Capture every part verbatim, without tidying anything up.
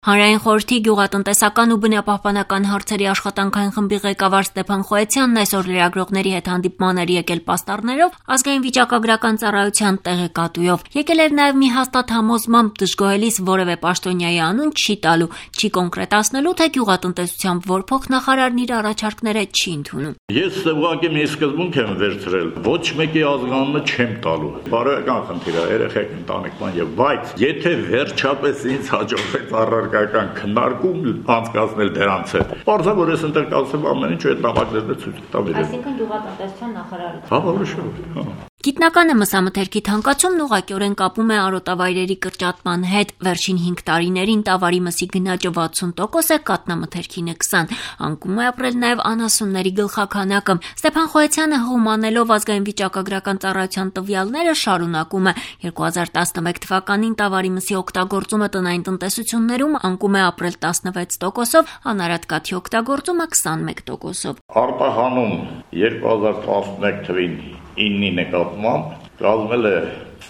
Հանրային խորհրդի գյուղատնտեսական ու բնապահպանական հարցերի աշխատանքային խմբի ղեկավար Ստեփան Խոյացյանն այսօր լրագրողների հետ հանդիպման էր եկել պաստառներով ազգային վիճակագրական ծառայության տեղեկատվով։ Եկել էր նաև մի հաստատ համոզմամբ դժգոհելիս որևէ պաշտոնյայի անուն չի տալու, չի կոնկրետացնելու, թե գյուղատնտեսության որ փոխնախարարն իր առաջարկները չի ընդունում։ Ես ուղղակի մի սկզբունք եմ վերցրել, ոչ մեկի ազգանունը չեմ տալու։ Բարոյական խնդիր է, երեխեք ընտանեկան եւ բայց եթե վերջապես ինձ հաջողվեց առարկայական քննարկում անցկացնել դրանց հետ, բարձր որ ես ընտեղ կասեմ ամեն ինչ այդ նամակներն ցույց տամ իրեն։ Այսինքն գյուղատնտեսության նախարարը։ Հա, որոշով, հա։ Գիտնականը մսամթերքի թանկացումն ուղղակիորեն կապում է արոտավայրերի կրճատման հետ։ Վերջին հինգ տարիներին տավարի մսի գնաճը վաթսուն տոկոս է, կաթնամթերքինը քսան։ Անկում է ապրել նաև անասունների գլխաքանակը։ Ստեփան Խոյացյանը հողմանելով ազգային վիճակագրական ծառայության տվյալները շարունակում է։ երկու հազար տասնմեկ թվականին տավարի մսի օգտագործումը տնային տնտեսություններում անկում է ապրել տասնվեց տոկոսով, անարատ կաթի օգտագործումը քսանմեկ տոկոսով։ Արտահանում երկու հազար տասնմեկ թվին իննի նկատմամբ կազմել է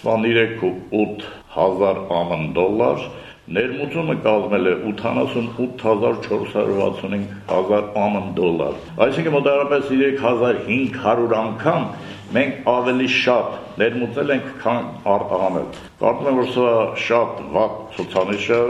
վաթսունութ ու ութ հազար ամն դոլար, ներմուծումը կազմել է ութանասունութ հազար չորս հարյուր վաթսունհինգ հազար ամն դոլար։ Այսինքն մոտավորապես երեք հազար հինգ հարյուր անգամ մենք ավելի շատ ներմուծել ենք, քան արտահանել։ Կարծում եմ, որ սա շատ վատ ցուցանիշ է,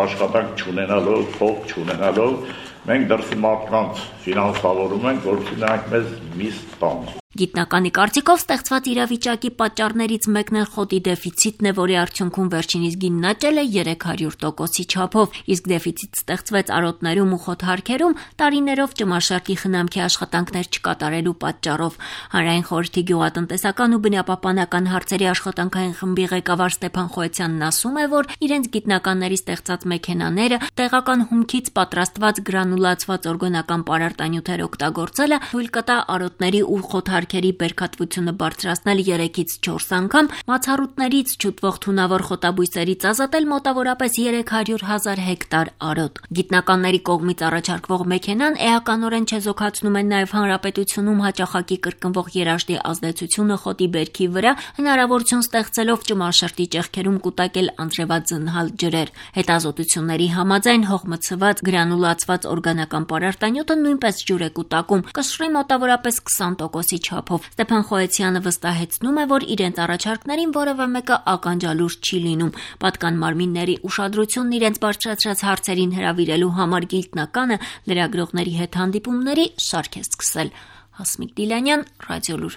աշխատանք չունենալով, փող չունենալով, մենք դրսի մարդկանց ֆինանսավորում ենք, որովհետեւ նրանք մեզ միստ տան։ Գիտնականի կարծիքով ստեղծված իրավիճակի պատճառներից մեկն էլ խոտի դեֆիցիտն է, որի արդյունքում վերջինիս գիննաճել է երեք հարյուր տոկոսի չափով, իսկ դեֆիցիտ ստեղծվեց արոտներում ու խոտհարքերում տարիներով ճմաշարկի խնամքի աշխատանքներ չկատարելու պատճառով։ Հանրային խորհրդի գյուղատնտեսական ու բնապահպանական հարցերի աշխատանքային խմբի ղեկավար Ստեփան Խոյացյանն ասում է, որ իրենց գիտնականների ստեղծած մեքենաները տեղական հումքից պատրաստված գրանուլացված օրգանական պարարտանյութեր օգտագործելը թույլ կտա արոտների ու խոտհարքերի բերքատվությունը բարձրացնել երեքից չորս անգամ, մացառուտներից չուտվող թունավոր խոտաբույսերից ազատել մոտավորապես երեք հարյուր հազար հեկտար արոտ։ Գիտնականների կողմից առաջարկվող մեքենան էականորեն չեզոքացնում են նաև հանրապետությունում հաճախակի կրկնվող երաշտի ազդեցությունը խոտի բերքի վրա, հնարավորություն ստեղծելով ճմաշարտի ճեղքերում կուտակել անձրևածնհալ ջրեր։ Հետազոտությունների համաձայն հողմցված գրանուլացված օրգանական պարարտանյութը նույնպես ջուր է կուտակում, կշռի մոտավորապես քսան տոկոսի չափով։ Ստեփան Խոյացյանը վստահեցնում է, որ իրենց առաջարկներին որևէ մեկը ականջալուր չի լինում։ Պատկան մարմինների ուշադրությունն իրենց բարձրացրած հարցերին հրավիրելու համար գիտնականը լրագրողների հետ հանդիպումների շարք է սկսել։ Հասմիկ Դիլանյան, Ռադիոլուր։